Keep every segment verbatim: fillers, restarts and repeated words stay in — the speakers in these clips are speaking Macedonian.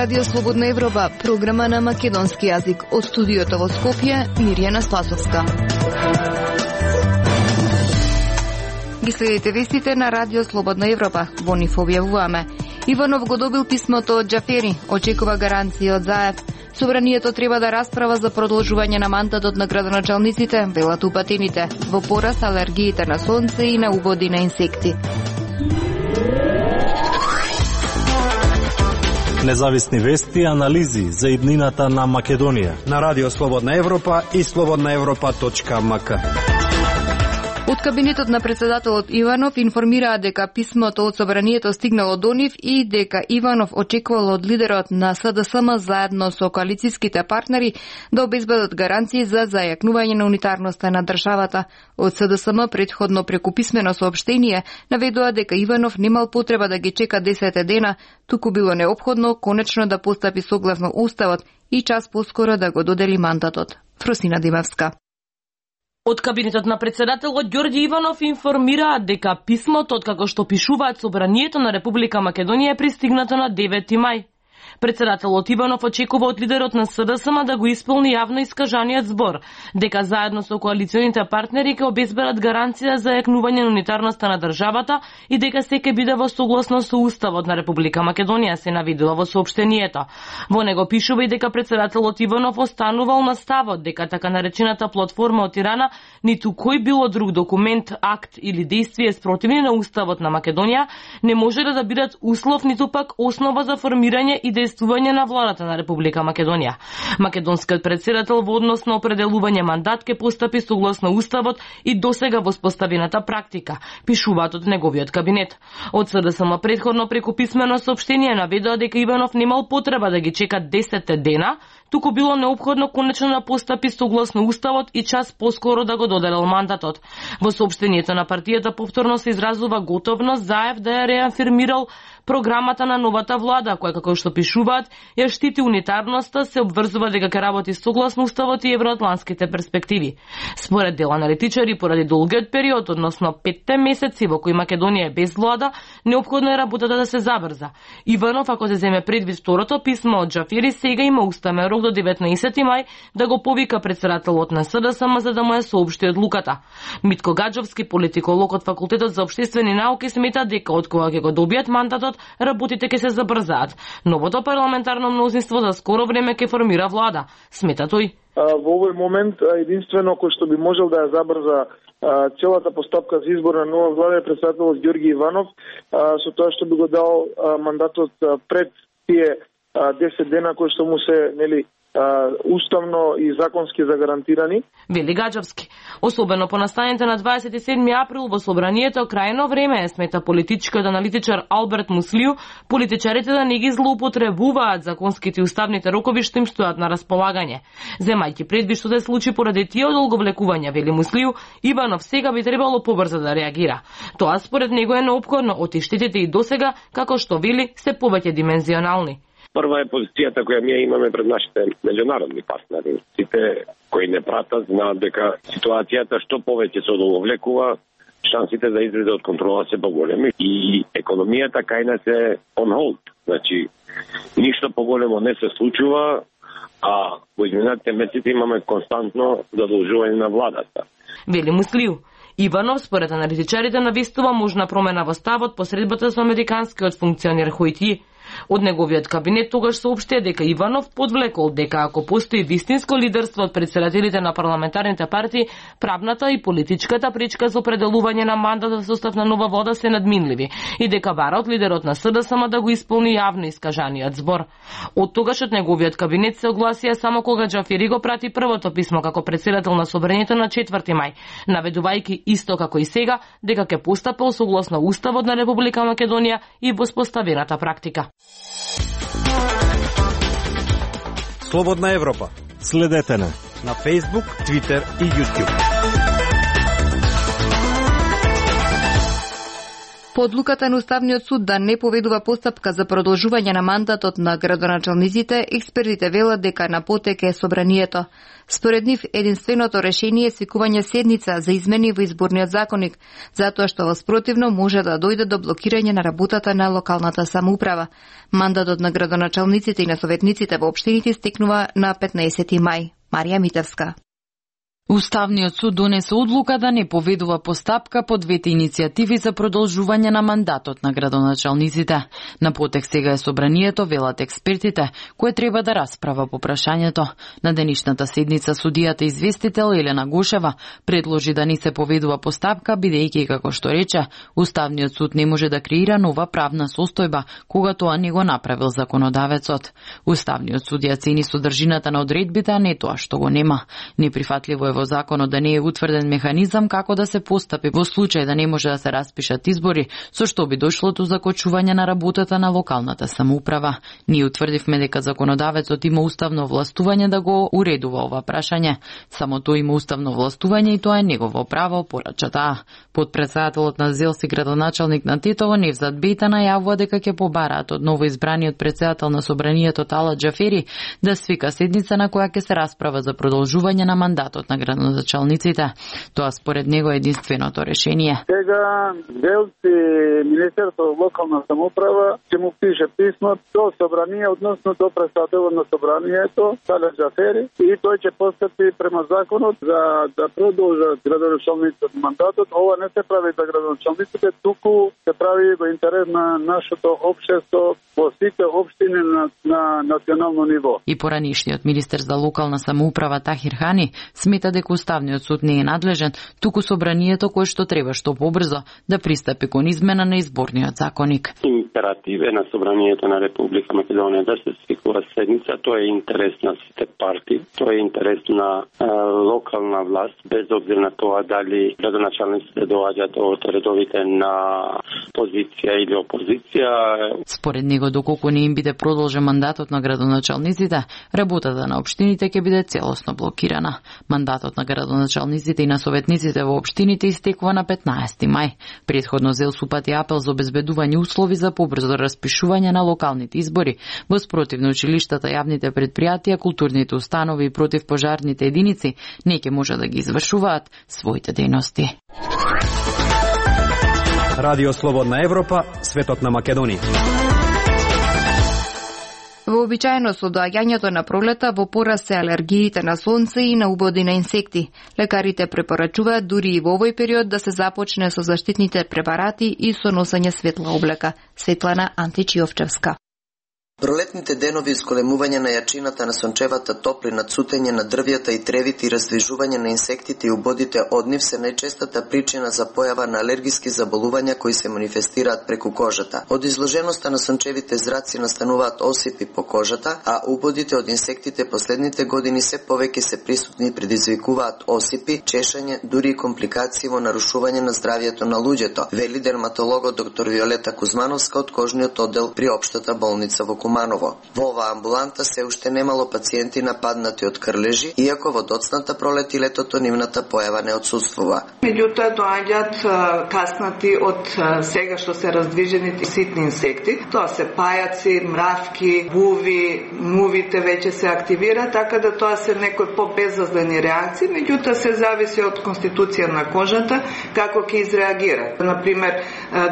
Радио Слободна Европа, програма на македонски јазик. Од студиото во Скопје, Мирјана Спасовска. Ги следите вестите на Радио Слободна Европа. Во нив објавуваме. Иванов го добил писмото од Џафери, очекува гаранција од Заев. Собранието треба да расправа за продолжување на мандатот на градоначалниците, велат упатените, во пораст алергиите на сонце и на убоди на инсекти. Независни вести и анализи за иднината на Македонија на Радио Слободна Европа и слободна европа точка ем ка. Од кабинетот на председателот Иванов информираа дека писмото од собранието стигнало до нив и дека Иванов очекувал од лидерот на С Д С М заедно со коалицијските партнери да обезбедат гаранции за зајакнување на унитарноста на државата. Од С Д С М претходно преку писмено соопштение наведува дека Иванов немал потреба да ги чека десет дена, туку било неопходно конечно да постапи согласно уставот и час поскоро да го додели мандатот. Фросина Димевска. Од кабинетот на председателот Ѓорѓе Иванов информираат дека писмото, откако што пишуваат собранието на Република Македонија, е пристигнато на девети мај. Председателот Иванов очекува од лидерот на С Д С М да го исполни јавно искажаниот збор, дека заедно со коалиционите партнери ќе обезбедат гаранција за јакнување на унитарноста на државата и дека се ќе биде во согласно со Уставот на Република Македонија, се наведува во соопштението. Во него пишува и дека председателот Иванов останувал на ставот дека така наречената платформа од Тирана ниту кој било друг документ, акт или действие спротивни на Уставот на Македонија не може да бидат услов ниту пак основа за формирање и действување на владата на Република Македонија. Македонскиот председател во однос на определување мандат ке постапи согласно Уставот и досега воспоставената практика, пишуваат од неговиот кабинет. Од С Д С М претходно преку писмено соопштение наведува дека Иванов немал потреба да ги чека десет дена, туку било неопходно конечно да постапи согласно Уставот и час поскоро да го доделил мандатот. Во соопштението на партијата повторно се изразува готовност Заев да ја реафирмирал програмата на новата влада, која, како што пишуваат, ја штити унитарноста, се обврзува дека ќе работи согласно Уставот и евроатлантските перспективи. Според дел аналитичари, поради долгиот период, односно петте месеци во кои Македонија е без влада, неопходно е работата да се забрза. Иванов, ако се земе предвид второто писмо од Џафери, сега има уставен рок до деветнаесети мај да го повика председателот на С Д С М за да му ја соопшти одлуката. Митко Гаджовски, политиколог од Факултетот за општествени науки, смета дека од кога ќе го добијат мандатот, работите ќе се забрзаат. Новото парламентарно мнозинство за скоро време ќе формира влада, смета тој. Во овој момент единствено кој што би можел да ја забрза целата постапка за избор на нова влада е председателот Ѓорѓе Иванов, со тоа што би го дал мандатот пред тие десет дена кои што му се, нели, уставно и законски загарантирани. Вели Гаджовски. Особено по настаните на дваесет и седми април во собранието крајно време е, смета политичкиот аналитичар Алберт Муслију, политичарите да не ги злоупотребуваат законските и уставните рокови што им стојат на располагање. Земајќи предвид што се случи поради тие одолговлекувања, вели Муслију, Иванов сега би требало побрзо да реагира. Тоа според него е неопходно, оти штетите и досега, како што вели, се повеќе димензионални. Прва е позицијата која ние имаме пред нашите меѓународни партнери. Сите кои не пратат знаат дека ситуацијата што повеќе се одолговлекува, шансите за излезе од контрола се поголеми и економијата кај нас е on hold. Значи, ништо поголемо не се случува, а во изминатите месеци имаме константно задолжување на владата. Вели Муслију. Иванов, според аналитичарите, навестува можна промена во ставот по средбата со американскиот функционер Хојти. Од неговиот кабинет тогаш соопштија дека Иванов подвлекол дека ако постои вистинско лидерство од председателите на парламентарните партии, правната и политичката пречка за определување на мандат за состав на нова влада се надминливи и дека бара од лидерот на С Д С М да го исполни јавно искажаниот збор. Од тогаш од неговиот кабинет се огласија само кога Џафери го прати првото писмо како председател на собранието на четврти мај, наведувајќи исто како и сега дека ќе постапил согласно Уставот на Република Македонија и воспоставената практика. Слободна Европа. Следете на на Facebook, Twitter и YouTube. По одлуката на Уставниот суд да не поведува постапка за продолжување на мандатот на градоначалниците, експертите велат дека на потек е собранието. Според нив, единственото решение е свикување седница за измени во изборниот законник, затоа што во спротивно може да дојде до блокирање на работата на локалната самоуправа. Мандатот на градоначалниците и на советниците во општините стекнува на петнаесети мај. Марија Митевска. Уставниот суд донесе одлука да не поведува постапка по двете иницијативи за продолжување на мандатот на градоначалниците. На потек сега е собранието, велат експертите, кое треба да расправа по прашањето. На денешната седница судијата известител Елена Гошева предложи да не се поведува постапка, бидејќи, како што рече, Уставниот суд не може да креира нова правна состојба, кога тоа не го направил законодавецот. Уставниот суд ја цени содржината на одредбите, а не тоа што го нема. Неприфатливо е во законот да не е утврден механизам како да се постапи во случај да не може да се распишат избори, со што би дошло до закочување на работата на локалната самоуправа. Ние утврдивме дека законодавецот има уставно властување да го уредува ова прашање. Само тој има уставно властување и тоа е негово право, порача таа. Подпредседателот на Зелси градоначалник на Тетово Невзат Бејта најавува дека ќе побараат од новоизбраниот претседател на собранието Талат Џафери да свика седница на која ќе се расправа за продолжување на мандатот на градоначалниците. Тоа според него е единственото решение. Сега Зелси Министерство локална самоуправа ќе му пише писмо до собрание, односно до претседателот на собранието Талат Џафери, и тој ќе постапи према законот за да продолжат градоначалниците мандатот. Ова не се прави за градоначалниците, туку се прави во интерес на нашето општество во сите општини на, на национално ниво. И поранишниот министер за локална самоуправа Тахир Хани смета дека Уставниот суд не е надлежен, туку собранието кое што треба што побрзо да пристапи кон измена на изборниот законник. Императив е на собранието на Република Македонија да се свикува седница, тоа е интерес на сите партии, тоа е интерес на е, локална власт, без обзир на тоа дали градоначалниците доаѓаат од редовите на позиција или опозиција. Според него, доколку не им биде продолжен мандатот на градоначалниците, работата на општините ќе биде целосно блокирана. Мандатот на градоначалниците и на советниците во општините истекува на петнаесети мај. Претходно зел супати апел за обезбедување услови за побрзо распишување на локалните избори, во спротивно училиштата, јавните предпријатија, културните установи и противпожарните единици не ќе може да ги извршуваат своите дејности. Радио Слободна Европа, светот на Македонија. Вообичаено со доаѓањето на пролета во пораст се алергиите на сонце и на убоди на инсекти. Лекарите препорачуваат дури и во овој период да се започне со заштитните препарати и со носење светла облека. Светлана Античиовчевска. Пролетните денови исколемување на јачината на сончевата топлина, цутење на дрвјата и тревите и раздвижување на инсектите и убодите од нив се најчестата причина за појава на алергиски заболувања кои се манифестираат преку кожата. Од изложеноста на сончевите зраци настануваат осипи по кожата, а убодите од инсектите последните години се повеќе се присутни и предизвикуваат осипи, чешање, дури и компликации во нарушување на здравјето на луѓето, вели дерматологот доктор Виолета Кузмановска од кожниот оддел при Општата болница во Куманово. Во оваа амбуланта се уште немало пациенти нападнати од крлежи, иако во доцната пролет и летото нивната појава не отсутствува. Меѓутоа доаѓаат каснати од сега што се раздвижените ситни инсекти. Тоа се пајаци, мравки, буви, мувите веќе се активира, така да тоа се некои по-безазлени реакции, меѓутоа се зависи од конституција на кожата како ќе изреагира. Например,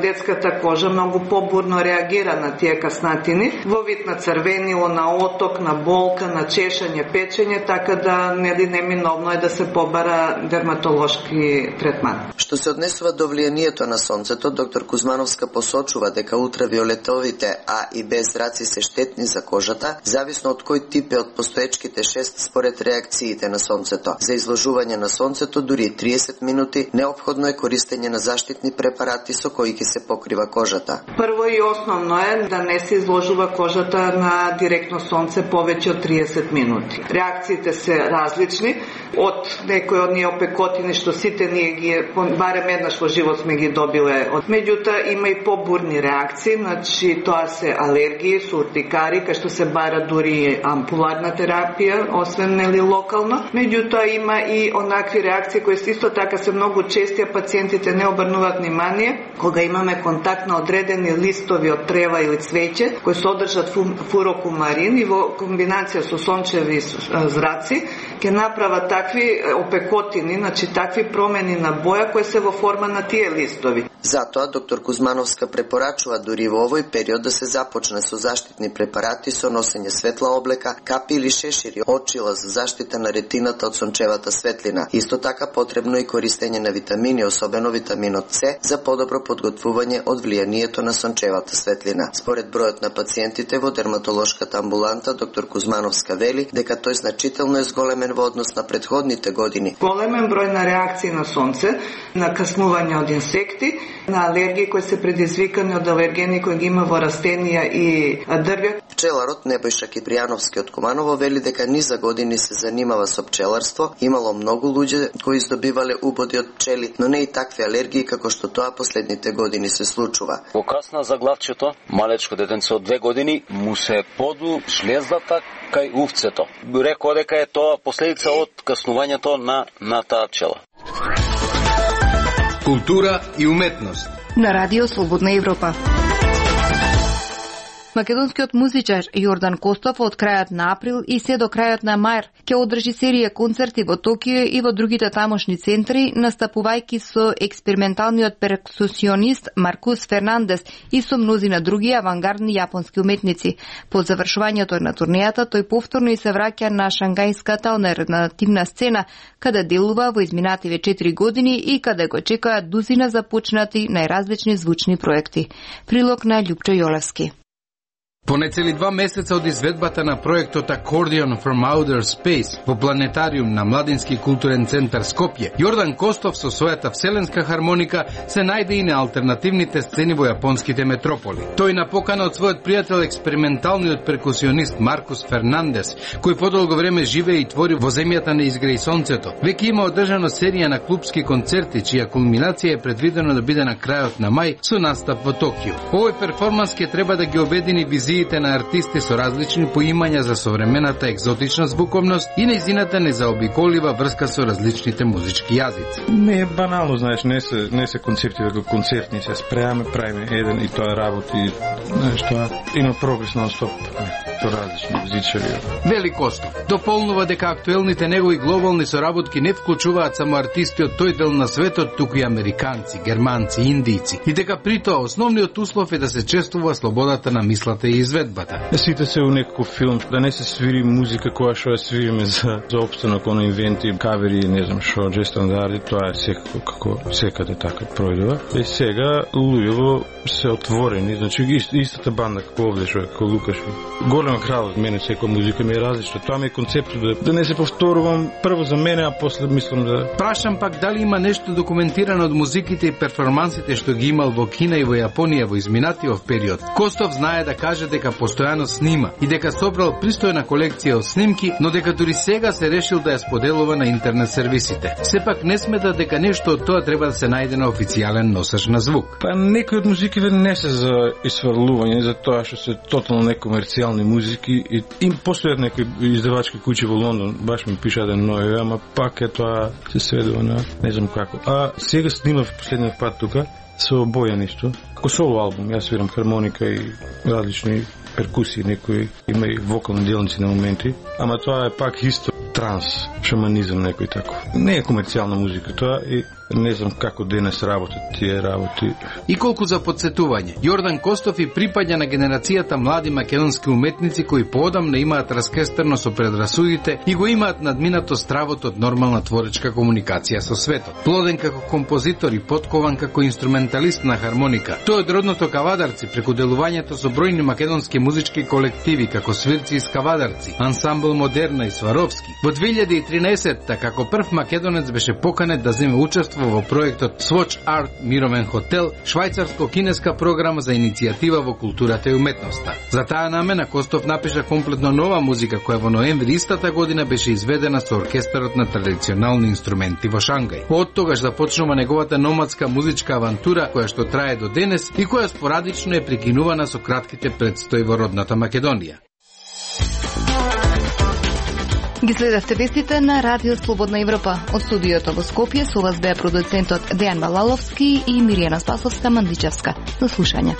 детската кожа многу побурно реагира на тие каснатини, во вид на црвенило, на оток, на болка, на чешање, печење, така да нели неминовно е да се побара дерматолошки третман. Што се однесува до влијанието на сонцето, доктор Кузмановска посочува дека ултравиолетовите А и Б зраци се штетни за кожата, зависно од кој тип е од постоечките шест според реакциите на сонцето. За изложување на сонцето дури триесет минути неопходно е користење на заштитни препарати со кои ќе се покрива кожата. Прво и основно е да не се изложува кожата на директно сонце повеќе од триесет минути. Реакциите се различни, од некои од ние опекотини што сите ние ги барем еднаш во живот сме ги добиле. Меѓутоа има и побурни реакции, значи тоа се алергии, со уртикари, кај што се бара дури ампуларна терапија, освен нели локално. Меѓутоа има и онакви реакции кои исто така се многу чести, а пациентите не обрнуваат внимание кога имаме контакт на одредени листови од трева или цвеќе кои содржат фурокумарин и во комбинација со сончеви зраци ќе направат такви опекотини, значи такви промени на боја кои се во форма на тие листови. Затоа доктор Кузмановска препорачува дури во овој период да се започне со заштитни препарати со носење светла облека, капи или шешири, очила за заштита на ретината од сончевата светлина. Исто така потребно и користење на витамини, особено витаминот С, за подобро подготвување од влијанието на сончевата светлина. Според бројот на пациентите во дерматолошката амбуланта, доктор Кузмановска вели дека тој значително е зголемен во однос на претходните години. Големен број на реакции на сонце, на каснување од инсекти, на алергии кои се предизвикани од алергени кои ги има во растенија и дрвја. Пчеларот Небојша Кипријановски од Куманово вели дека низа години се занимава со пчеларство, имало многу луѓе кои издобивале убоди од пчели, но не и такви алергии како што тоа последните години се случува. Во касна заглавчето, малечко детенце од две години му се поду шлездата кај увцето. Рекоа дека е тоа последица од каснувањето на на таа пчела. Култура и уметност. На Радио Слободна Европа. Македонскиот музичар Јордан Костов од крајот на април и се до крајот на мај ќе одржи серија концерти во Токио и во другите тамошни центри, настапувајќи со експерименталниот перкусионист Маркус Фернандес и со мнозина други авангардни јапонски уметници. По завршувањето на турнејата, тој повторно и се враќа на шангајската алтернативна сцена, каде делува во изминативе четири години и каде го чекаат дузина започнати најразлични звучни проекти. Прилог на Љупчо Јолевски. По нецели два месеца од изведбата на проектот Accordion from Outer Space во планетариум на Младински културен центар Скопје, Јордан Костов со својата вселенска хармоника се најде и на алтернативните сцени во јапонските метрополи. Тој на покана од својот пријател експерименталниот перкусионист Маркус Фернандес, кој подолго време живее и твори во земјата на изгреј сонцето, веќе има одржано серија на клубски концерти, чија кулминација е предвидено да биде на крајот на мај со настап во Токио. Овој перформанс ќе треба да ги обедини визиите на артисти со различни поимања за современата екзотична звуковност и нејзината незаобиколива врска со различните музички јазици. Не е банално, знаеш, не се не се концепти како концертни, се спреаме, правиме еден и тоа работи, знаеш, тоа има прогрес нон-стоп со различни музичари. Вели Костов дополнува дека актуелните негови глобални соработки не вклучуваат само артисти од тој дел на светот, туку и американци, германци, индијци, и дека при тоа основниот услов е да се чествува слободата на мислата и изведбата. Сите се у некој филм, да не се свири музика која што ја свириме за, за опстанок, оно инвенти, кавери, не знам шо, дже стандарди, тоа е секако како секаде така пројдува. И сега луѓето се отворени, значи истата банда како овде што е, како Лукаш. Голема крал од мене, секоја музика ми е различна. Тоа ми е концептот да, да не се повторувам прво за мене, а после мислам да... Прашам пак дали има нешто документирано од музиките и перформансите што ги имал во Кина и во Јапонија во изминатиот период. Костов знае да каже дека постојано снима и дека собрал пристојна колекција од снимки, но дека дури сега се решил да ја споделува на интернет сервисите. Сепак не смета дека нешто од тоа треба да се најде на официјален носач на звук. Па некои од музиките не се за исфрлување, за тоа што се тотално некомерцијални музики и им постојат некои издавачки куќи во Лондон, баш ми пиша еден нови, ама пак е тоа се сведува на не знам како. А сега снимав последниот пат тука со Бојан исто, како соло албум, јас свирам хармоника и различни перкусии, некои има и вокални делници на моменти, ама тоа е пак исто транс, шаманизам некој тако. Не е комерцијална музика тоа и не знам како денес работат тие работи. И колку за подсетување, Јордан Костов и припаѓа на генерацијата млади македонски уметници кои поодамна имаат раскестерно со предрасудите и го имаат надминато стравот од нормална творечка комуникација со светот. Плоден како композитор и подкован како инструменталист на хармоника, тој од родното Кавадарци преку делувањето со бројни македонски музички колективи како Свирци и Скавадарци, ансамбл Модерна и Сваровски. Во две илјади и тринаесетта како прв македонец беше поканет да земе учество учествува во проектот Swatch Art Мировен хотел, швајцарско-кинеска програма за иницијатива во културата и уметноста. За таа намена Костов напиша комплетно нова музика која во ноември истата година беше изведена со оркестарот на традиционални инструменти во Шангај. Од тогаш започнува неговата номадска музичка авантура која што трае до денес и која спорадично е прекинувана со кратките предстои во родната Македонија. Ги следевте вестите на Радио Слободна Европа. Од студиото во Скопје со вас беа продуцентот Дејан Малаловски и Миријана Спасовска-Мандичевска. До слушање.